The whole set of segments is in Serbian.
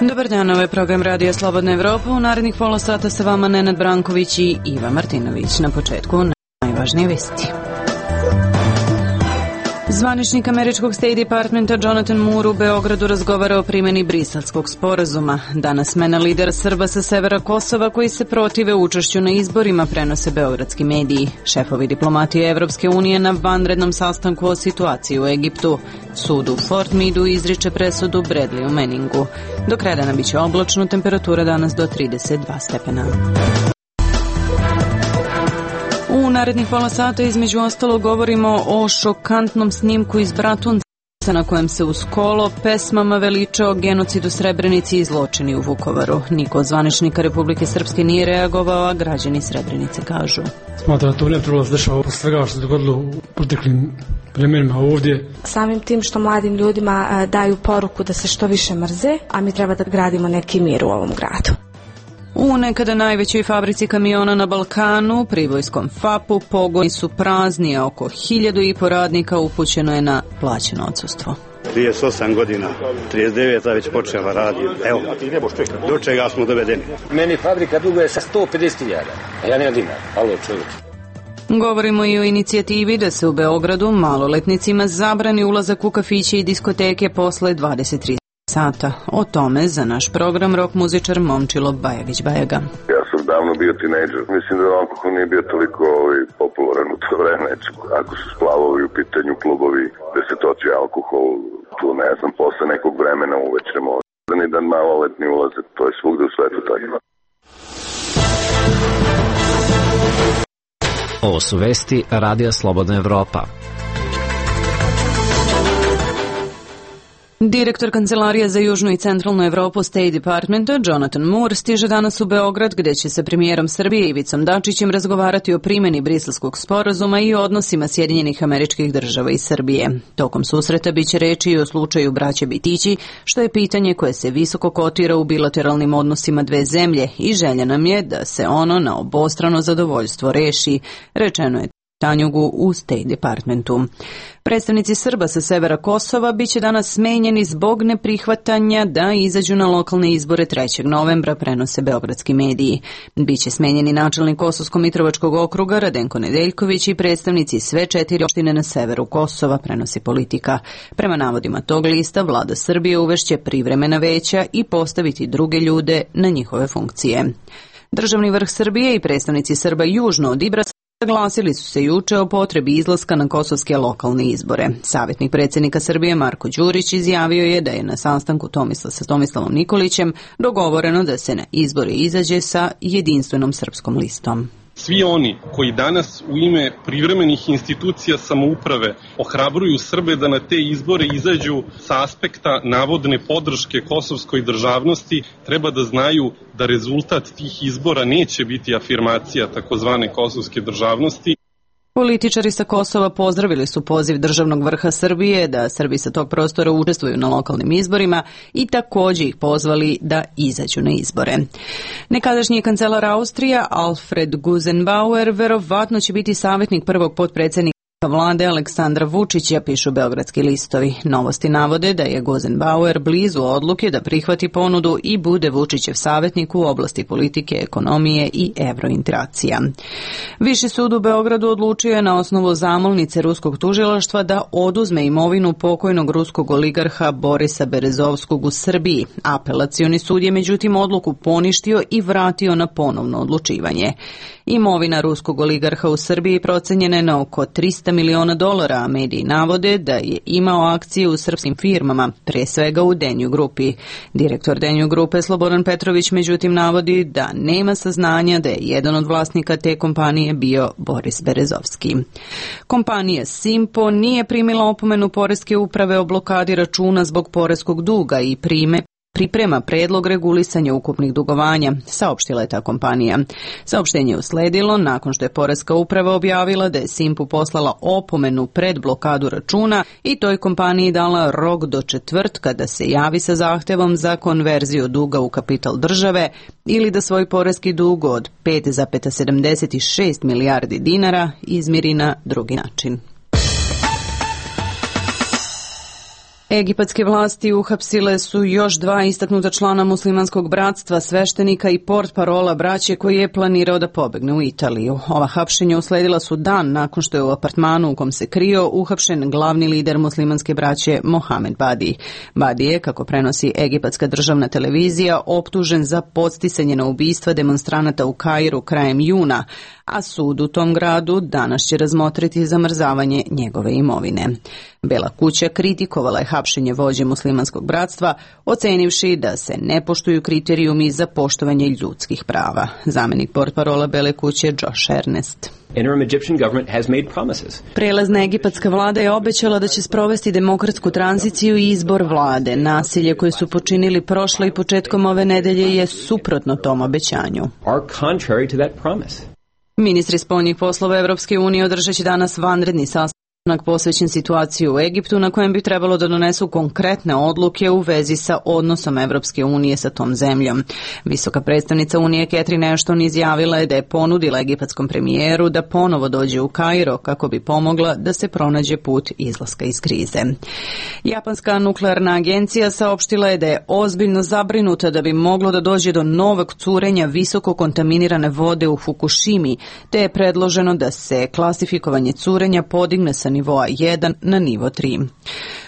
Dobar dan, ovo je program Radija Slobodna Evropa. U narednih pola sata sa vama Nenad Branković i Iva Martinović. Na početku najvažnije vesti. Zvaničnik američkog State Departmenta Jonathan Moore u Beogradu razgovara o primjeni Briselskog sporazuma. Danas smena lidera Srba sa severa Kosova koji se protive učešću na izborima, prenose beogradski mediji. Šefovi diplomatije Evropske unije na vanrednom sastanku o situaciji u Egiptu. Sud u Fort Meadu izriče presudu Bradleyu Manningu. Do kraja dana biće oblačno, temperatura danas do 32 stepena. U narednih pola sata između ostalo govorimo o šokantnom snimku iz Bratunca na kojem se uz kolo pesmama veličao genocid u Srebrenici i zločini u Vukovaru. Niko od zvaničnika Republike Srpske nije reagovao, a građani Srebrenice kažu. Smatram da to ne trebalo se dešava posle svega što se dogodilo u proteklim vremenima ovdje. Samim tim što mladim ljudima daju poruku da se što više mrze, a mi treba da gradimo neki mir u ovom gradu. U nekada najvećoj fabrici kamiona na Balkanu, pribojskom FAP-u, pogoni su prazni, a oko 1.500 radnika upućeno je na plaćeno odsustvo. 38 godina, 39 već počela radi. Evo, do čega smo dovedeni. Meni fabrika duguje sa 150.000, a ja nemam dinar. Alo, čovječ. Govorimo i o inicijativi da se u Beogradu maloletnicima zabrani ulazak u kafiće i diskoteke posle 23 sata. O tome za naš program rok muzičar Momčilo Bajagić-Bajaga. Ja sam davno bio tinejdžer. Mislim da alkohol nije bio toliko popularan u to vreme. Ako su splavovi u pitanju, klubovi gde se toči alkohol, tu ne znam, posle nekog vremena uveče možda ni dan maloletni ulazak. To je svugde u svetu tako. Ovo su vesti Radija Slobodna Evropa. Direktor Kancelarije za Južnu i Centralnu Evropu State Departmenta Jonathan Moore stiže danas u Beograd gde će sa premijerom Srbije Ivicom Dačićem razgovarati o primjeni Briselskog sporazuma i o odnosima Sjedinjenih Američkih Država i Srbije. Tokom susreta biće reči i o slučaju braće Bitići, što je pitanje koje se visoko kotira u bilateralnim odnosima dve zemlje i želja nam je da se ono na obostrano zadovoljstvo reši, rečeno je Tanjugu u State Departmentu. Predstavnici Srba sa severa Kosova biće danas smenjeni zbog neprihvatanja da izađu na lokalne izbore 3. novembra, prenose beogradski mediji. Biće smenjeni načelnik Kosovsko-Mitrovačkog okruga Radenko Nedeljković i predstavnici sve 4 opštine na severu Kosova, prenosi Politika. Prema navodima tog lista, vlada Srbije uvešće privremena veća i postaviti druge ljude na njihove funkcije. Državni vrh Srbije i predstavnici Srba južno od Ibrasa saglasili su se juče o potrebi izlaska na kosovske lokalne izbore. Savjetnik predsjednika Srbije Marko Đurić izjavio je da je na sastanku sa Tomislavom Nikolićem dogovoreno da se na izbore izađe sa jedinstvenom srpskom listom. Svi oni koji danas u ime privremenih institucija samouprave ohrabruju Srbe da na te izbore izađu sa aspekta navodne podrške kosovskoj državnosti, treba da znaju da rezultat tih izbora neće biti afirmacija takozvane kosovske državnosti. Političari sa Kosova pozdravili su poziv državnog vrha Srbije da Srbi sa tog prostora učestvuju na lokalnim izborima i također ih pozvali da izađu na izbore. Nekadašnji kancelar Austrija Alfred Gusenbauer verovatno će biti savjetnik prvog potpredsjednika vlade Aleksandra Vučića, pišu beogradski listovi. Novosti navode da je Gusenbauer blizu odluke da prihvati ponudu i bude Vučićev savjetnik u oblasti politike, ekonomije i evrointegracija. Viši sud u Beogradu odlučio je na osnovu zamolnice ruskog tužilaštva da oduzme imovinu pokojnog ruskog oligarha Borisa Berezovskog u Srbiji. Apelacioni sud je međutim odluku poništio i vratio na ponovno odlučivanje. Imovina ruskog oligarha u Srbiji procenjena je na oko $300 miliona, a mediji navode da je imao akcije u srpskim firmama, pre svega u Denju grupi. Direktor Denju grupe Slobodan Petrović međutim navodi da nema saznanja da je jedan od vlasnika te kompanije bio Boris Berezovski. Kompanija Simpo nije primila opomenu poreske uprave o blokadi računa zbog poreskog duga i prime priprema predlog regulisanja ukupnih dugovanja, saopštila je ta kompanija. Saopštenje je usledilo nakon što je Poreska uprava objavila da je Simpu poslala opomenu pred blokadu računa i toj kompaniji dala rok do četvrtka da se javi sa zahtevom za konverziju duga u kapital države ili da svoj poreski dug od 5,76 milijardi dinara izmiri na drugi način. Egipatske vlasti uhapsile su još 2 istaknuta člana muslimanskog bratstva, sveštenika i portparola braće koji je planirao da pobegne u Italiju. Ova hapšenja usledila su dan nakon što je u apartmanu u kom se krio uhapšen glavni lider muslimanske braće Mohamed Badi. Badi je, kako prenosi egipatska državna televizija, optužen za podsticanje na ubistva demonstranata u Kairu krajem juna, a sud u tom gradu danas će razmotriti zamrzavanje njegove imovine. Bela kuća kritikovala je hapšenje vođe muslimanskog bratstva, ocenivši da se ne poštuju kriterijumi za poštovanje ljudskih prava. Zamenik portparola Bele kuće Josh Ernest. Prelazna egipatska vlada je obećala da će sprovesti demokratsku tranziciju i izbor vlade. Nasilje koje su počinili prošle i početkom ove nedelje je suprotno tom obećanju. Ministri spoljnih poslova Evropske unije održat će danas vanredni sastanak posvećen situaciji u Egiptu na kojem bi trebalo da donesu konkretne odluke u vezi sa odnosom Evropske unije sa tom zemljom. Visoka predstavnica Unije Catherine Ashton izjavila je da je ponudila egipatskom premijeru da ponovo dođe u Kairo kako bi pomogla da se pronađe put izlaska iz krize. Japanska nuklearna agencija saopštila je da je ozbiljno zabrinuta da bi moglo da dođe do novog curenja visoko kontaminirane vode u Fukushimi, te je predloženo da se klasifikovanje curenja podigne sa nivoa 1 na nivo 3.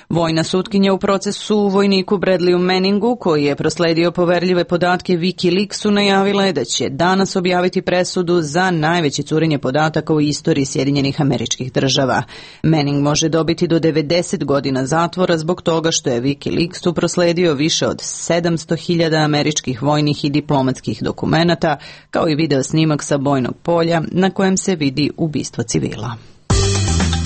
Vojna sutkinja u procesu vojniku Bradleyu Manningu, koji je prosledio poverljive podatke Wikileaksu, najavila je da će danas objaviti presudu za najveće curenje podataka u istoriji Sjedinjenih Američkih Država. Manning može dobiti do 90 godina zatvora zbog toga što je Wikileaksu prosledio više od 700.000 američkih vojnih i diplomatskih dokumenata, kao i video snimak sa bojnog polja na kojem se vidi ubistvo civila.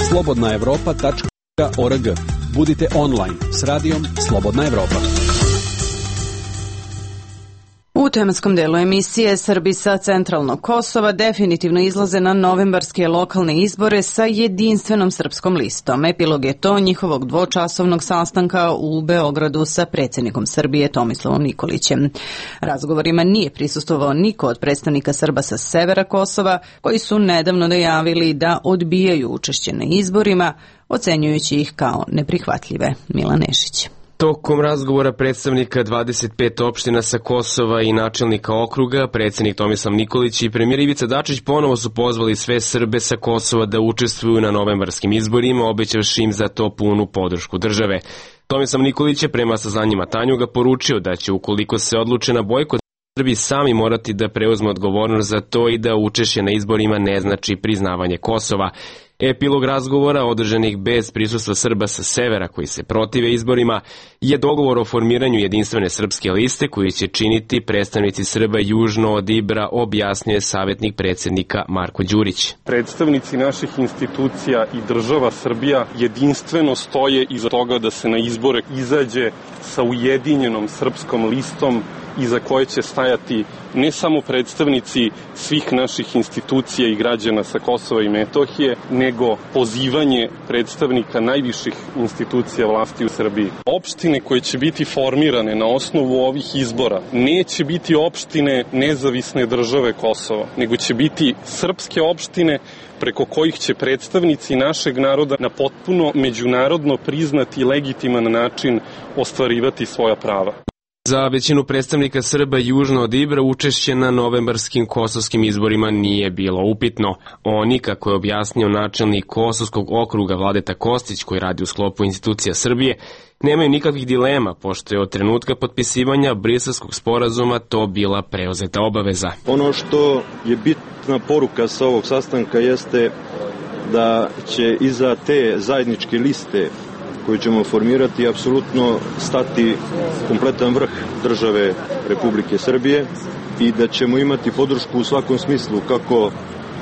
slobodnaevropa.org. Budite online s radijom Slobodna Evropa. U tematskom delu emisije Srbi sa centralnog Kosova definitivno izlaze na novembarske lokalne izbore sa jedinstvenom srpskom listom. Epilog je to njihovog dvočasovnog sastanka u Beogradu sa predsjednikom Srbije Tomislavom Nikolićem. Razgovorima nije prisustvovao niko od predstavnika Srba sa severa Kosova, koji su nedavno najavili da odbijaju učešće na izborima, ocenjujući ih kao neprihvatljive. Milan Nešić. Tokom razgovora predstavnika 25 opština sa Kosova i načelnika okruga, predsjednik Tomislav Nikolić i premijer Ivica Dačić ponovo su pozvali sve Srbe sa Kosova da učestvuju na novembarskim izborima, obećavši im za to punu podršku države. Tomislav Nikolić je prema saznanjima Tanjuga poručio da će, ukoliko se odluče na bojkot, Srbi sami morati da preuzmu odgovornost za to i da učešće na izborima ne znači priznavanje Kosova. Epilog razgovora, održanih bez prisustva Srba sa severa koji se protive izborima, je dogovor o formiranju jedinstvene srpske liste koju će činiti predstavnici Srba južno od Ibra, objasnjuje savjetnik predsjednika Marko Đurić. Predstavnici naših institucija i država Srbija jedinstveno stoje iza toga da se na izbore izađe sa ujedinjenom srpskom listom iza koje će stajati ne samo predstavnici svih naših institucija i građana sa Kosova i Metohije, nego pozivanje predstavnika najviših institucija vlasti u Srbiji. Opštine koje će biti formirane na osnovu ovih izbora neće biti opštine nezavisne države Kosova, nego će biti srpske opštine preko kojih će predstavnici našeg naroda na potpuno međunarodno priznati i legitiman način ostvarivati svoja prava. Za većinu predstavnika Srba južno od Ibra učešće na novembarskim kosovskim izborima nije bilo upitno. Oni, kako je objasnio načelnik Kosovskog okruga Vladeta Kostić, koji radi u sklopu institucija Srbije, nemaju nikakvih dilema, pošto je od trenutka potpisivanja Briselskog sporazuma to bila preuzeta obaveza. Ono što je bitna poruka sa ovog sastanka jeste da će iza te zajedničke liste koju ćemo formirati apsolutno stati kompletan vrh države Republike Srbije i da ćemo imati podršku u svakom smislu, kako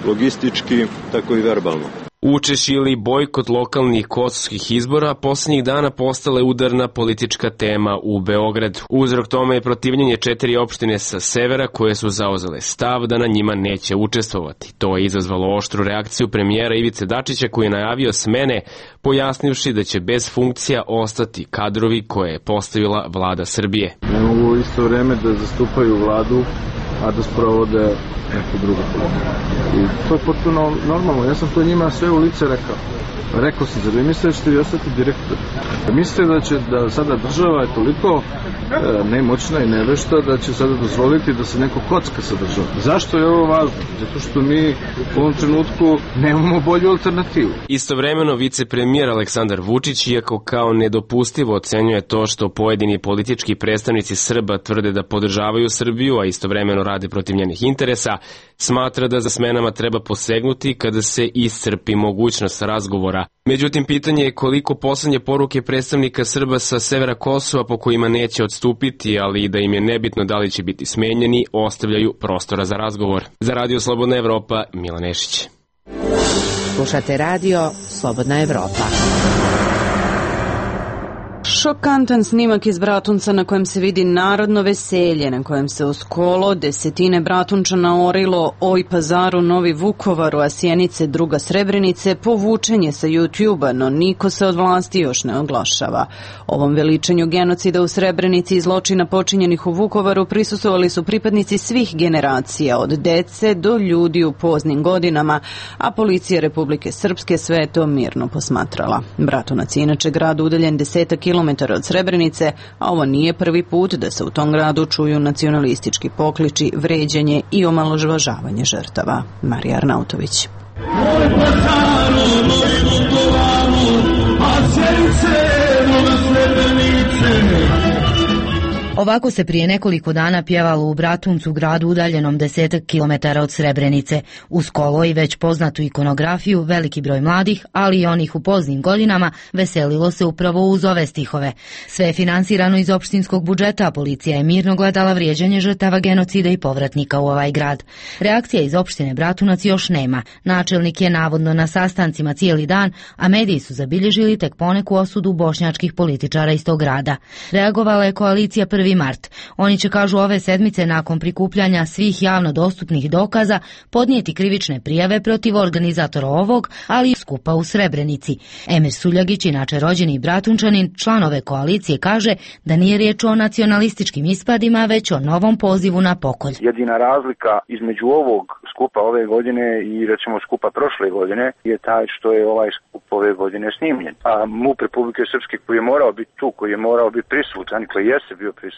logistički, tako i verbalno. Učešće ili bojkot lokalnih kosovskih izbora poslednjih dana postala je udarna politička tema u Beogradu. Uzrok tome je protivljenje 4 opštine sa severa koje su zauzele stav da na njima neće učestvovati. To je izazvalo oštru reakciju premijera Ivice Dačića koji je najavio smene, pojasnivši da će bez funkcija ostati kadrovi koje je postavila vlada Srbije. Ne mogu isto vreme da zastupaju vladu, a da sprovode neku drugu politiku. I to je potpuno normalno. Ja sam to njima sve u lice rekao. Rekao sam, zar vi mislite da ćete vi ostati direktor? Mislite da sada država je toliko nemoćna i nevešta da će sada dozvoliti da se neko kocka sa državom? Zašto je ovo važno? Zato što mi u ovom trenutku nemamo bolju alternativu. Istovremeno vicepremijer Aleksandar Vučić, iako kao nedopustivo ocenjuje to što pojedini politički predstavnici Srba tvrde da podržavaju Srbiju, a istovremeno rade protiv njenih interesa, smatra da za smenama treba posegnuti kada se iscrpi mogućnost razgovora. Međutim, pitanje je koliko poslednje poruke predstavnika Srba sa severa Kosova po kojima neće odstupiti, ali i da im je nebitno da li će biti smenjeni, ostavljaju prostora za razgovor. Za Radio Slobodna Evropa, Milan Nešić. Slušate Radio Slobodna Evropa. Šokantan snimak iz Bratunca na kojem se vidi narodno veselje, na kojem se uz kolo desetine Bratunčana orilo Oj Pazaru, Novi Vukovaru, a Sjenice, druga Srebrenice, povučen je sa YouTube-a, no niko se od vlasti još ne oglašava. Ovom veličanju genocida u Srebrenici i zločina počinjenih u Vukovaru prisustvovali su pripadnici svih generacija, od dece do ljudi u poznim godinama, a policija Republike Srpske sve to mirno posmatrala. Bratunac je inače grad udaljen 10 kilometara od Srebrenice, a ovo nije prvi put da se u tom gradu čuju nacionalistički pokliči, vređanje i omalovažavanje žrtava. Marija Arnautović. Ovako se prije nekoliko dana pjevalo u Bratuncu, gradu udaljenom 10 kilometara od Srebrenice. Uz kolo i već poznatu ikonografiju, veliki broj mladih, ali i onih u poznim godinama, veselilo se upravo uz ove stihove. Sve je finansirano iz opštinskog budžeta, a policija je mirno gledala vrijeđanje žrtava genocida i povratnika u ovaj grad. Reakcija iz opštine Bratunac još nema. Načelnik je navodno na sastancima cijeli dan, a mediji su zabilježili tek poneku osudu bošnjačkih političara iz tog grada. Reagovala je koalicija 1. mart. Oni će, kažu, ove sedmice nakon prikupljanja svih javno dostupnih dokaza podnijeti krivične prijave protiv organizatora ovog, ali i skupa u Srebrenici. Emir Suljagić, inače rođeni Bratunčanin, član ove koalicije, kaže da nije riječ o nacionalističkim ispadima, već o novom pozivu na pokolj. Jedina razlika između ovog skupa ove godine i recimo skupa prošle godine je taj što je ovaj skup ove godine snimljen. A MUP Republike Srpske koji je morao biti tu, koji je morao biti prisutan, koji jeste bio prisutan,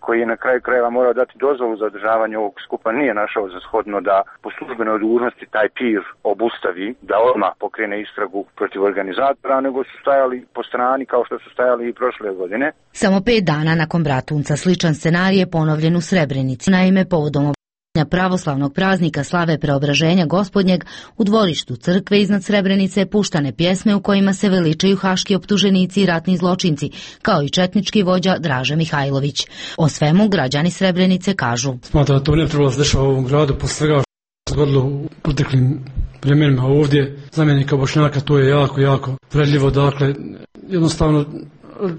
koji je na kraju krajeva morao dati dozvolu za održavanje ovog skupa, nije našao za shodno da po službenoj dužnosti taj pir obustavi, da odmah pokrene istragu protiv organizatora, nego su stajali po strani kao što su stajali i prošle godine. Samo 5 dana nakon Bratunca sličan scenarij je ponovljen u Srebrenici. Naime, povodom pravoslavnog praznika slave Preobraženja Gospodnjeg u dvorištu crkve iznad Srebrenice puštane pjesme u kojima se veličaju haški optuženici i ratni zločinci, kao i četnički vođa Draže Mihajlović. O svemu građani Srebrenice kažu: Smatram da to ne trebalo se dešava u ovom gradu posle svega što se dogodilo u proteklim vremenima ovdje. Zamjenika Bošnjaka to je jako vredljivo, dakle jednostavno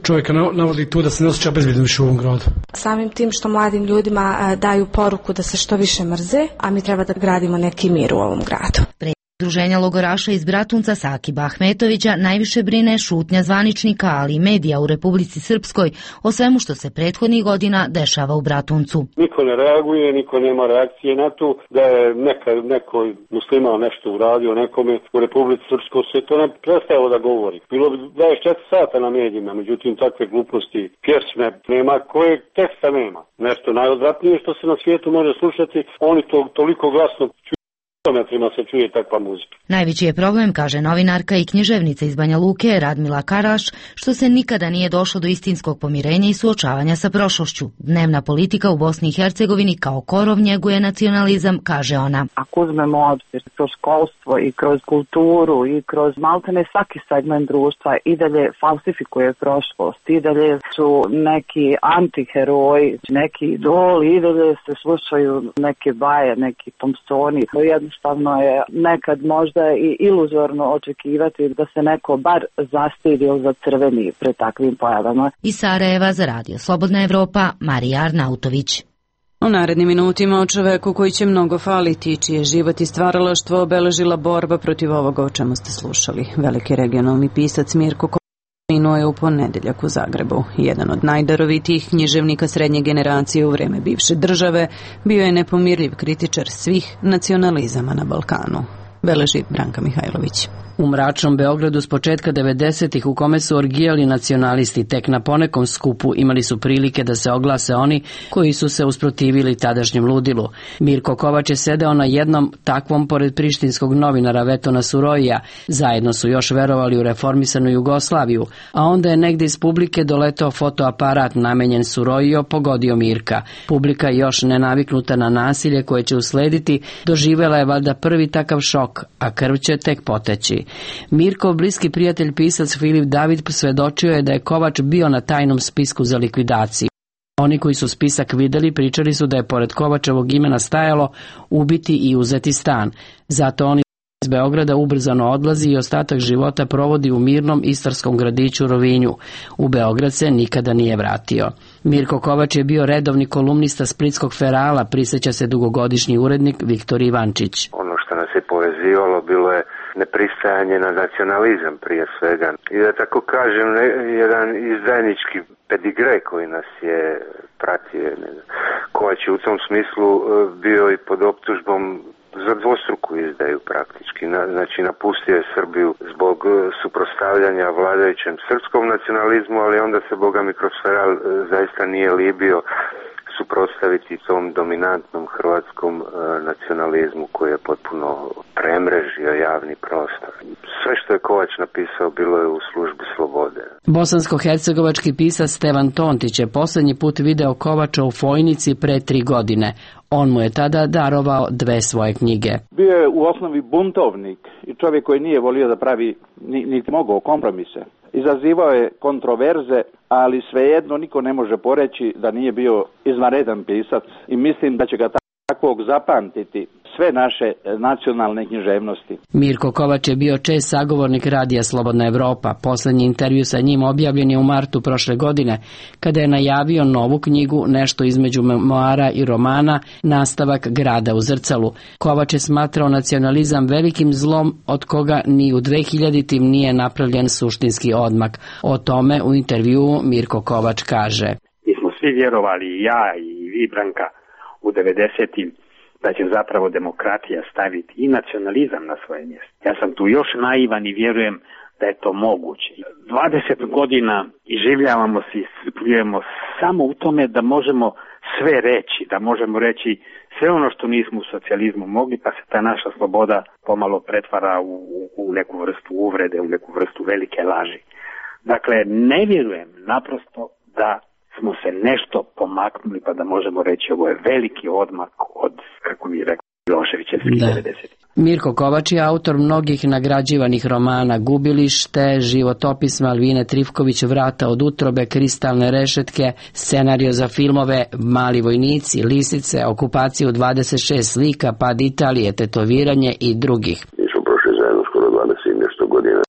čovjeka navodi tu da se ne osjeća bezbjedno više u ovom gradu. Samim tim što mladim ljudima daju poruku da se što više mrze, a mi treba da gradimo neki mir u ovom gradu. Udruženja logoraša iz Bratunca Sakiba Ahmetovića najviše brine šutnja zvaničnika, ali i medija u Republici Srpskoj o svemu što se prethodnih godina dešava u Bratuncu. Niko ne reaguje, niko nema reakcije na to da je neko musliman nešto uradio nekome u Republici Srpskoj, se to ne prestalo da govori. Bilo bi 24 sata na medijima, međutim takve gluposti, pjesme nema, kojeg teksta nema. Nešto najodvratnije što se na svijetu može slušati, oni to toliko glasno se čuje takva muzika. Najveći je problem, kaže novinarka i književnica iz Banja Luke Radmila Karaš, što se nikada nije došlo do istinskog pomirenja i suočavanja sa prošlošću. Dnevna politika u Bosni i Hercegovini kao korov njeguje nacionalizam, kaže ona. Ako uzmemo obzir kroz školstvo i kroz kulturu i kroz maltene svaki segment društva i dalje falsifikuje prošlost, i dalje su neki antiheroji, neki idoli, i dalje se slušaju neke baje, neki Thompsoni. Jednostavno jednostavno je nekad možda i iluzorno očekivati da se neko bar zastidi ili zacrveni pred takvim pojavama. Iz Sarajeva za Radio Slobodna Evropa, Marija Arnautović. U narednim minutima o čoveku koji će mnogo faliti, čije život i stvaralaštvo obeležila borba protiv ovoga o čemu ste slušali. Veliki regionalni pisac Mirko Kovač minuo je u ponedeljak u Zagrebu. Jedan od najdarovitijih književnika srednje generacije u vreme bivše države, bio je nepomirljiv kritičar svih nacionalizama na Balkanu. Beleži Branka Mihajlović. U mračnom Beogradu s početka 90-ih u kome su orgijali nacionalisti, tek na ponekom skupu imali su prilike da se oglase oni koji su se usprotivili tadašnjem ludilu. Mirko Kovač je sedeo na jednom takvom pored prištinskog novinara Vetona Surojija. Zajedno su još verovali u reformisanu Jugoslaviju, a onda je negde iz publike doletao fotoaparat namenjen Surojijo pogodio Mirka. Publika, još nenaviknuta na nasilje koje će uslediti, doživela je valjda prvi takav šok, a krv će tek poteći. Mirkov bliski prijatelj pisac Filip David svedočio je da je Kovač bio na tajnom spisku za likvidaciju. Oni koji su spisak videli pričali su da je pored Kovačevog imena stajalo ubiti i uzeti stan. Zato on iz Beograda ubrzano odlazi i ostatak života provodi u mirnom istarskom gradiću Rovinju. U Beograd se nikada nije vratio. Mirko Kovač je bio redovni kolumnista Splitskog Ferala, prisjeća se dugogodišnji urednik Viktor Ivančić. Ono što nas je povezivalo bilo je nepristajanje na nacionalizam prije svega. I da tako kažem, jedan izdajnički pedigre koji nas je pratio. Kovač je u tom smislu bio i pod optužbom za dvostruku izdaju praktički. Znači napustio je Srbiju zbog suprotstavljanja vladajućem srpskom nacionalizmu, ali onda se boga mi kroz Feral zaista nije libio suprotstaviti tom dominantnom hrvatskom nacionalizmu koji je potpuno premrežio javni prostor. Sve što je Kovač napisao bilo je u službi slobode. Bosansko-hercegovački pisac Stevan Tontić je posljednji put video Kovača u Fojnici pre 3 godine. On mu je tada darovao 2 svoje knjige. Bio je u osnovi buntovnik i čovjek koji nije volio da pravi niti mogao kompromise. Izazivao je kontroverze, ali svejedno niko ne može poreći da nije bio izvanredan pisac i mislim da će ga takvog zapamtiti sve naše nacionalne književnosti. Mirko Kovač je bio čest sagovornik Radija Slobodna Evropa. Poslednji intervju sa njim objavljen je u martu prošle godine, kada je najavio novu knjigu, nešto između memoara i romana, nastavak Grada u zrcalu. Kovač je smatrao nacionalizam velikim zlom od koga ni u 2000-tim nije napravljen suštinski odmak. O tome u intervjuu Mirko Kovač kaže: Mi smo svi vjerovali, i ja i vi, Branka, u 90-im, da će zapravo demokratija staviti i nacionalizam na svoje mjesto. Ja sam tu još naivan i vjerujem da je to moguće. 20 godina iživljavamo se i iscrpljujemo samo u tome da možemo sve reći, da možemo reći sve ono što nismo u socijalizmu mogli, pa se ta naša sloboda pomalo pretvara u neku vrstu uvrede, u neku vrstu velike laži. Dakle, ne vjerujem naprosto da smo se nešto pomaknuli pa da možemo reći ovo je veliki odmak od, kako mi je rekao, Miloševićevskih 90. Mirko Kovač je autor mnogih nagrađivanih romana: Gubilište, Životopis Malvine Trifković, Vrata od utrobe, Kristalne rešetke, scenario za filmove Mali vojnici, Lisice, Okupaciju 26 slika, Pad Italije, Tetoviranje i drugih. Mi smo prošli zajedno skoro 20 nešto godina.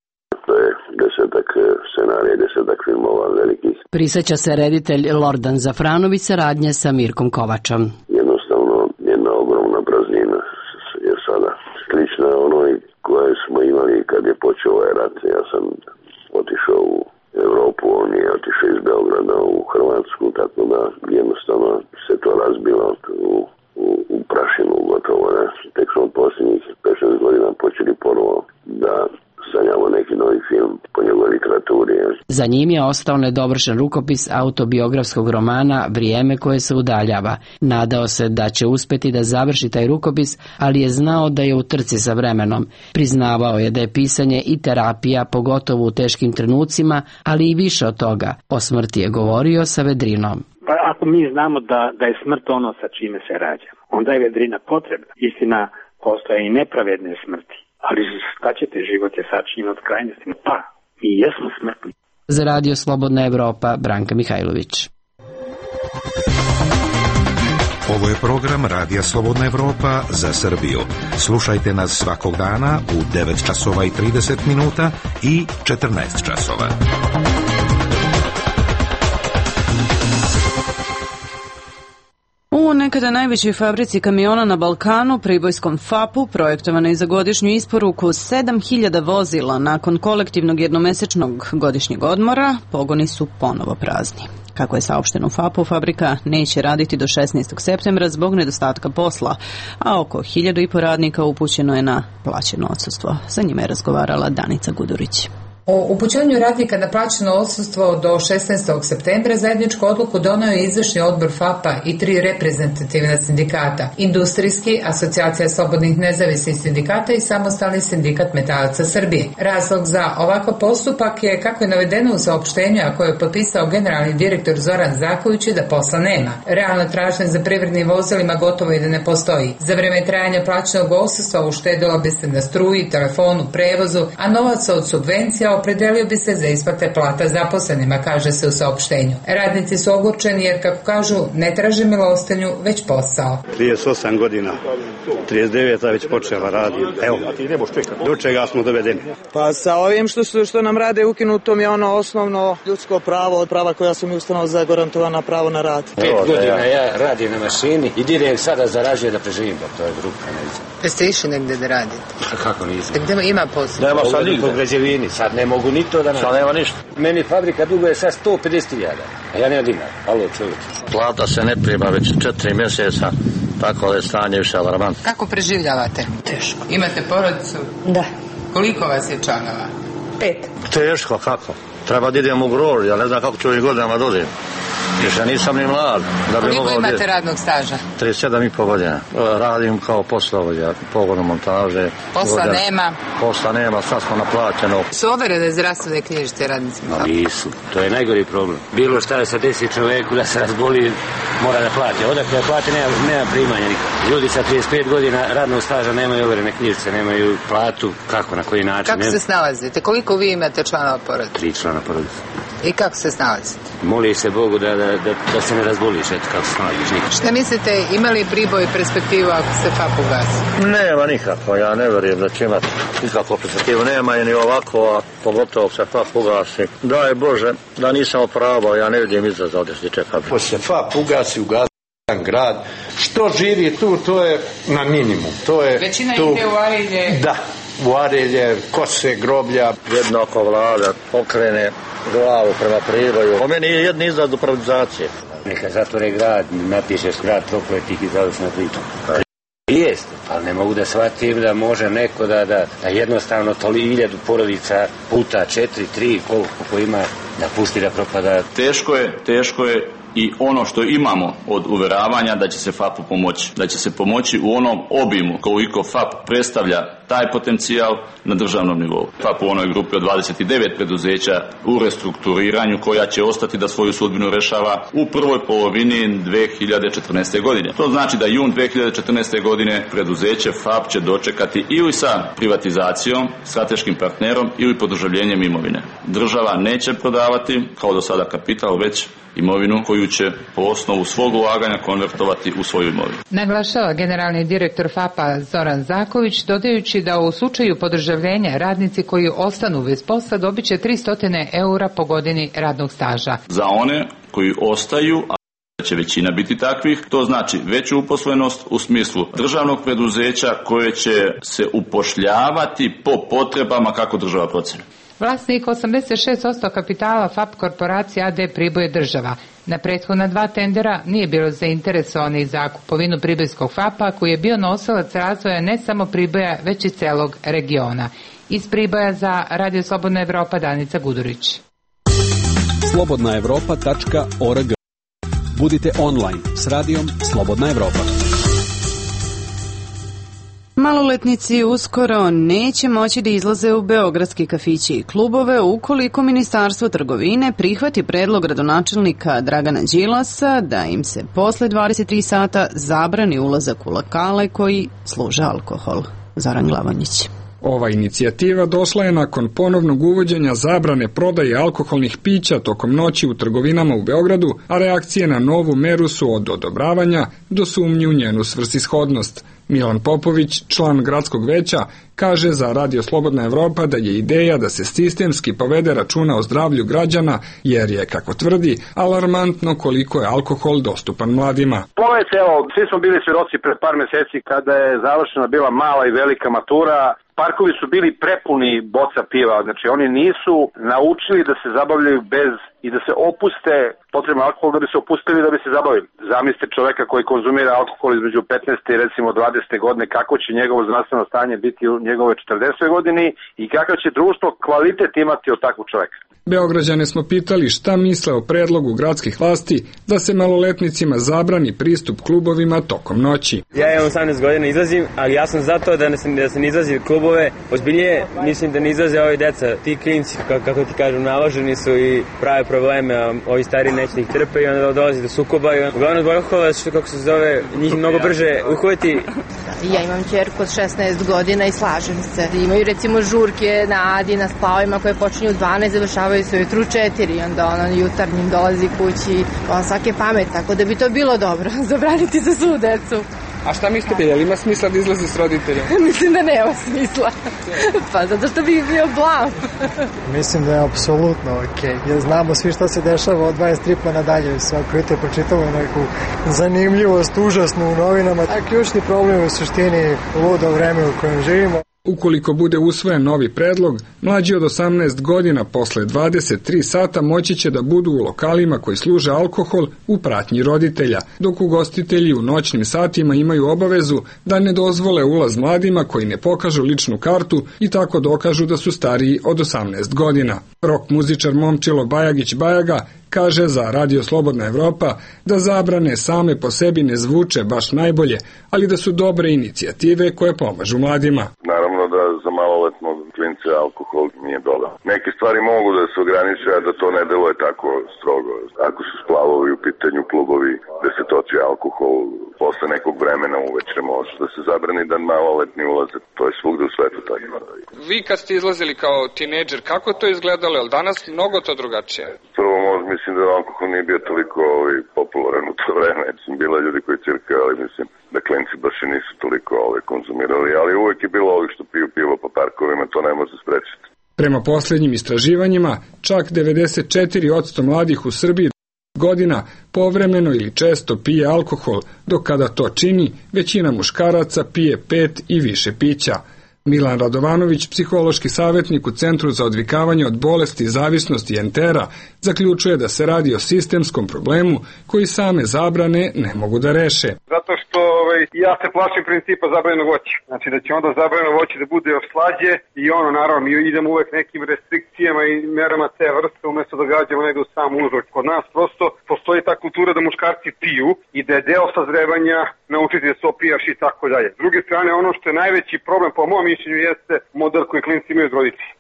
To je 10 scenarija, 10 filmova velikih. Prisjeća se reditelj Lordan Zafranović saradnje sa Mirkom Kovačom. Jednostavno, jedna ogromna praznina je sada slična onoj koje smo imali kad je počeo ovaj rat. Ja sam otišao u Europu, on je otišao iz Beograda u Hrvatsku, tako da jednostavno se to razbilo u prašinu gotovo. Ne? Tek smo posljednjih 5-6 godina počeli ponovo da sanjamo neki novi film po njegovoj literaturi. Za njim je ostao nedovršen rukopis autobiografskog romana Vrijeme koje se udaljava. Nadao se da će uspeti da završi taj rukopis, ali je znao da je u trci sa vremenom. Priznavao je da je pisanje i terapija, pogotovo u teškim trenucima, ali i više od toga. O smrti je govorio sa vedrinom. Pa ako mi znamo da je smrt ono sa čime se rađamo, onda je vedrina potrebna. Istina, postoje i nepravedne smrti. Ali šta ćete, život je sačinjen od krajnosti. Pa, mi jesmo smrtni. Za Radio Slobodna Evropa, Branka Mihajlović. Ovo je program Radija Slobodna Evropa za Srbiju. Slušajte nas svakog dana u 9 časova i 30 minuta i 14 časova. U nekada najvećoj fabrici kamiona na Balkanu, pribojskom FAP-u, projektovanoj za godišnju isporuku 7000 vozila nakon kolektivnog jednomesečnog godišnjeg odmora, pogoni su ponovo prazni. Kako je saopšteno u FAP-u, fabrika neće raditi do 16. septembra zbog nedostatka posla, a oko 1500 radnika upućeno je na plaćeno odsustvo. Sa njima je razgovarala Danica Gudurić. O upućenju radnika na plaćeno odsustvo do 16. septembra zajedničku odluku doneo je izvršni odbor FAP-a i 3 reprezentativna sindikata: Industrijski, Asocijacija slobodnih nezavisnih sindikata i Samostalni sindikat metalaca Srbije. Razlog za ovakav postupak je, kako je navedeno u saopštenju, a koje je potpisao generalni direktor Zoran Zaković, da posla nema. Realna tražnja za privrednim vozilima gotovo i da ne postoji. Za vreme trajanja plaćenog odsustva uštedilo bi se na struji, telefonu, prevozu, a novac od subvencija opredelio bi se za isplate plata zaposlenima, kaže se u saopštenju. Radnici su ogorčeni jer, kako kažu, ne traže milostinju, već posao. 38 godina, 39 već počela radi. Evo, do čega smo dovedeni? Pa sa ovim što nam rade ukinutom je ono osnovno ljudsko pravo, od prava koja su mi Ustavom zagarantovana, pravo na rad. 5 godina ja radim na mašini i direkt sada zarađuje da preživim, to je grupa. Jeste išli negde da radite? Kako nisam? Gde ima posao? Nema sad nigde. Po građevini, sad ne mogu ni to da nađem. Sad nema ništa. Meni fabrika duguje sad 150.000, a ja nema dinar. Alo, čovječ. Plata se ne prima već 4 mjeseca, tako je stanje više alarmantno. Kako preživljavate? Teško. Imate porodicu? Da. Koliko vas je članova? 5. Teško, kako? Treba da idem u grož, ja ne znam kako ću ovih godinama dođem. Više nisam ni mlad. Koliko imate radnog staža? 37,5 godina. Radim kao poslovođa, pogonu montaže. Posla nema, sad smo naplaćeno. Su overene zdravstvene knjižice radnicima? Nisu, to je najgori problem. Bilo šta je sa 10 čoveku da se razboli, mora da plati. Odakle plati, nema primanja nikad. Ljudi sa 35 godina radnog staža nemaju overene knjižice, nemaju platu. Kako, na koji način? Kako se snalazite? Koliko vi imate članova porodice? 3 člana porodice. I kako se snalazite? Moliš se Bogu da se ne razboliš, eto kako se snalaziš nikad. Šta mislite, ima li Priboj perspektivu ako se FAP ugasi? Nema nikako, ja ne vjerujem da će imati nikakvu perspektivu. Nema je ni ovako, a pogotovo se FAP ugasi. Daj Bože, da nisam opravao, ja ne vidim izraz ovdje što čeka. Ako se FAP ugasi grad, što živi tu, to je na minimum. Većina ide u Arilje. Da, u Arilje, kose, groblja. Jednako vlada pokrene glavu prema Priboju. Po meni je jedni izraz do privatizacije. Neka zatvore grad, napišeš grad prokletih i završna priča. Jeste, ali ne mogu da shvatim da može neko da jednostavno 1000 porodica puta 4, 3, koliko ima, da pusti da propada. Teško je i ono što imamo od uveravanja da će se FAP-u pomoći. Da će se pomoći u onom obimu koliko FAP predstavlja taj potencijal na državnom nivou. FAP u onoj grupi od 29 preduzeća u restrukturiranju koja će ostati da svoju sudbinu rešava u prvoj polovini 2014. godine. To znači da jun 2014. godine preduzeće FAP će dočekati ili sa privatizacijom, strateškim partnerom ili podržavljenjem imovine. Država neće prodavati kao do sada kapital, već imovinu koju će po osnovu svog ulaganja konvertovati u svoju imovinu. Naglašava generalni direktor FAP-a Zoran Zaković, dodajući da u slučaju podržavljenja radnici koji ostanu bez posla dobiće 300 eura po godini radnog staža. Za one koji ostaju, a će većina biti takvih, to znači veću uposlenost u smislu državnog preduzeća koje će se upošljavati po potrebama kako država proceni. Vlasnik 86% kapitala FAP korporacija AD Priboj je država. Na prethodna 2 tendera nije bilo zainteresovanih za kupovinu pribojskog FAP-a koji je bio nosilac razvoja ne samo Priboja već i celog regiona. Iz Priboja za Radio Slobodna Evropa Danica Gudurić. slobodnaevropa.org. Budite online s radijom Slobodna Evropa. Maloletnici uskoro neće moći da izlaze u beogradski kafići i klubove ukoliko Ministarstvo trgovine prihvati predlog gradonačelnika Dragana Đilasa da im se posle 23 sata zabrani ulazak u lokale koji služe alkohol. Zoran Glavanjić. Ova inicijativa došla je nakon ponovnog uvođenja zabrane prodaje alkoholnih pića tokom noći u trgovinama u Beogradu, a reakcije na novu meru su od odobravanja do sumnji u njenu svrsishodnost. Milan Popović, član gradskog veća, kaže za Radio Slobodna Evropa da je ideja da se sistemski povede računa o zdravlju građana, jer je, kako tvrdi, alarmantno koliko je alkohol dostupan mladima. Pogledajte, evo, svi smo bili svjedoci pred par meseci kada je završena bila mala i velika matura. Parkovi su bili prepuni boca piva, znači oni nisu naučili da se zabavljaju bez i da se opuste potrebno alkohol da bi se opustili da bi se zabavili. Zamislite čoveka koji konzumira alkohol između 15. i recimo 20. godine, kako će njegovo zdravstveno stanje biti u njegove 40. godini i kakav će društvo kvalitet imati od takvog čoveka. Beograđane smo pitali šta misle o predlogu gradskih vlasti da se maloletnicima zabrani pristup klubovima tokom noći. Ja imam 18 godina, izlazim, ali ja sam zato da se ne izlazi klubove. Ozbiljnije mislim da ne izlaze ovi deca, ti klinci, kako ti kažem, naloženi su i prave probleme, a ovi stari neće ih trpe i onda dolazi do sukoba i uglavnom zbog alkohola, što kako se zove, njih mnogo brže uhvati. Ja imam ćerku od 16 godina i slažem se. Imaju recimo žurke na Adi, na splavima koje počinju u 12, završavaju se ujutru 4 i onda ona jutarnjim dolazi kući, on svake pamet, tako da bi to bilo dobro, zabraniti za svu decu. A šta mislite, je li ima smisla da izlazi s roditeljem? Mislim da nema smisla. Pa zato što bi bio blam. Mislim da je apsolutno okej. Jer znamo svi šta se dešava od 23 pa nadalje. Svako jutro pročitamo neku zanimljivost, užasnu u novinama. A ključni problem je u suštini ludo vreme u kojem živimo. Ukoliko bude usvojen novi predlog, mlađi od 18 godina posle 23 sata moći će da budu u lokalima koji služe alkohol u pratnji roditelja, dok ugostitelji u noćnim satima imaju obavezu da ne dozvole ulaz mladima koji ne pokažu ličnu kartu i tako dokažu da su stariji od 18 godina. Rock muzičar Momčilo Bajagić Bajaga kaže za Radio Slobodna Evropa da zabrane same po sebi ne zvuče baš najbolje, ali da su dobre inicijative koje pomažu mladima. Naravno da za maloletnog klinca alkohol nije dobar. Neke stvari mogu da se ograniče, a da to ne deluje tako strogo. Ako su splavovi u pitanju klubovi da se toči alkohol, posle nekog vremena uveče može da se zabrani da maloletni ulaze. To je svugde u svetu tako. Vi kad ste izlazili kao tinejdžer, kako to izgledalo? Je li danas mnogo to drugačije? Prvo mislim da alkohol nije bio toliko popularan u to vreme. Bila ljudi koji cirkaju, ali mislim da klinci baš i nisu toliko konzumirali, ali uvek je bilo ovih što piju pivo po parkovima, to ne može sprečiti. Prema posljednjim istraživanjima, čak 94% mladih u Srbiji godina povremeno ili često pije alkohol, dok kada to čini, većina muškaraca pije 5 i više pića. Milan Radovanović, psihološki savjetnik u Centru za odvikavanje od bolesti, zavisnosti Entera, zaključuje da se radi o sistemskom problemu koji same zabrane ne mogu da reše. Zato što ja se plašim principa zabranjenog voća. Znači da će onda zabranjeno voće da bude još slađe i naravno mi idemo uvek nekim restrikcijama i merama te vrste umjesto da gađamo nego sam uzrok. Kod nas prosto postoji ta kultura da muškarci piju i da je deo sazrevanja naučiti da se opijaš i tako dalje. S druge strane, ono što je najveći problem po mom mišljenju jeste model koji klinci imaju od roditelji.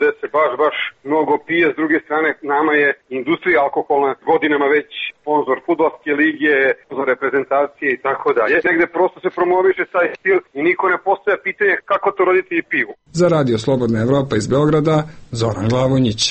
Da se baš mnogo pije, s druge strane nama je industrija alkoholna godinama već sponzor fudbalske lige, sponzor reprezentacije i tako dalje. Negde prosto se promoviše taj stil i niko ne postavlja pitanje kako to roditelji piju. Za Radio Slobodna Evropa iz Beograda, Zoran Glavonjić.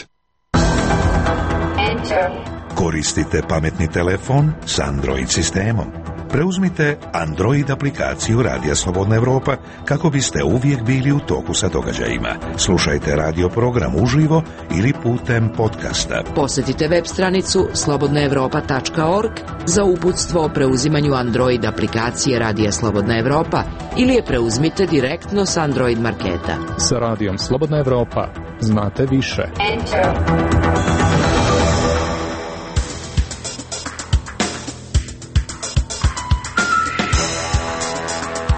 Koristite pametni telefon s Android sistemom. Preuzmite Android aplikaciju Radija Slobodna Evropa kako biste uvijek bili u toku sa događajima. Slušajte radio program uživo ili putem podcasta. Posjetite web stranicu slobodnaevropa.org za uputstvo o preuzimanju Android aplikacije Radija Slobodna Evropa ili je preuzmite direktno s Android marketa. Sa Radijom Slobodna Evropa znate više.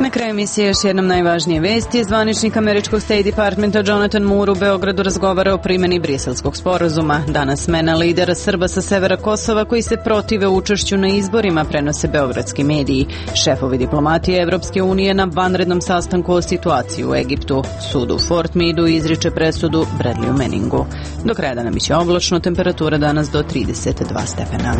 Na kraju emisije još jednom najvažnije vesti. Zvaničnik američkog State Departmenta Jonathan Moore u Beogradu razgovara o primjeni Briselskog sporazuma. Danas smena lidera Srba sa severa Kosova koji se protive učešću na izborima, prenose beogradski mediji. Šefovi diplomatije Evropske unije na vanrednom sastanku o situaciji u Egiptu. Sud u Fort Meadu izriče presudu Bradleyu Manningu. Do kraja dana biće oblačno, temperatura danas do 32 stepena.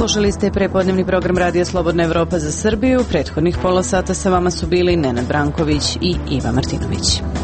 Slušali ste prepodnevni program Radija Slobodna Evropa za Srbiju. Prethodnih pola sata sa vama su bili Nenad Branković i Iva Martinović.